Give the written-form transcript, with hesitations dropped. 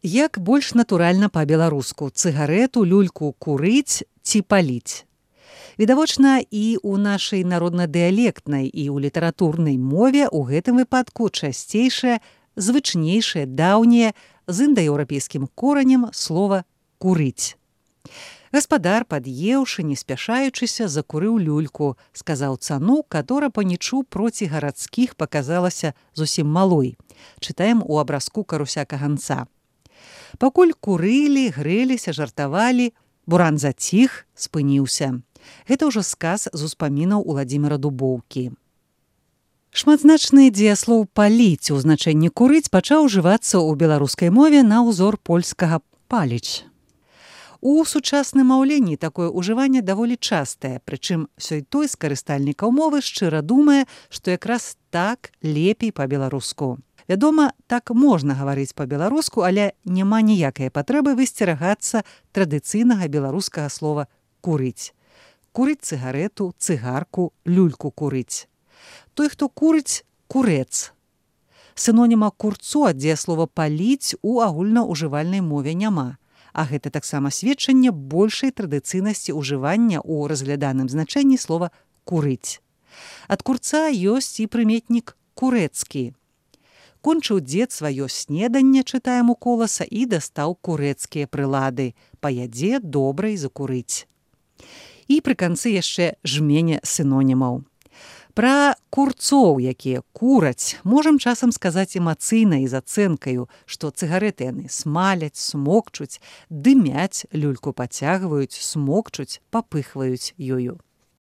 Як больш натуральна па-беларуску цыгарэту, люльку курыць ці паліць? Відавочна, і ў нашай народна-дыялектнай і ў літаратурнай мове ў гэтым выпадку часцейшае, звычнейшае, даўняе, з індаеўрапейскім коранем слова «курыць». Гаспадар, пад'еўшы, не спяшаючыся, закурыў люльку, сказаў цану, катора панічу проці гарадскіх паказалася зусім малой. Чытаем у абразку Каруся Каганца. Пакуль курылі, грэліся, жартавалі, буран заціх, спыніўся. Гэта ўжо сказ з успамінаў Уладзіміра Дубоўкі. Шматзначны дзеяслоў «паліць» у значэнні «курыць» пачаў ужывацца ў беларускай мове на ўзор польскага «паліць». У сучасным маўленні такое ўжыванне даволі частае, прычым сёй-той з карыстальнікаў мовы шчыра думае, што якраз так лепей па-беларуску. Вядома, так можна гаварыць па-беларуску, але няма ніякай патрэбы высцерагацца традыцыйнага беларускага слова «курыць». Курыць цыгарэту, цыгарку, люльку курыць. Той, хто курыць – курэц. Синоніма курцу ад дзеяслова «паліць» у агульнаўжывальнай мове няма. А гэта таксама сведчанне большай традыцыйнасці ўжывання ў разгляданым значэнні слова «курыць». Ад курца ёсць і прыметнік «курэцкі». Кончыў дзед сваё снеданне, чытаем у Коласа, і дастаў курэцкія прылады. Паядзе добра і закурыць. І пры канцы яшчэ жменя синонімаў. Пра курцоў, якія кураць, можам часам сказаць эмацыйна і з ацэнкаю, што цыгарэты яны смаляць, смокчуць, дымяць, люльку пацягваюць, смокчуць, папыхваюць ёю.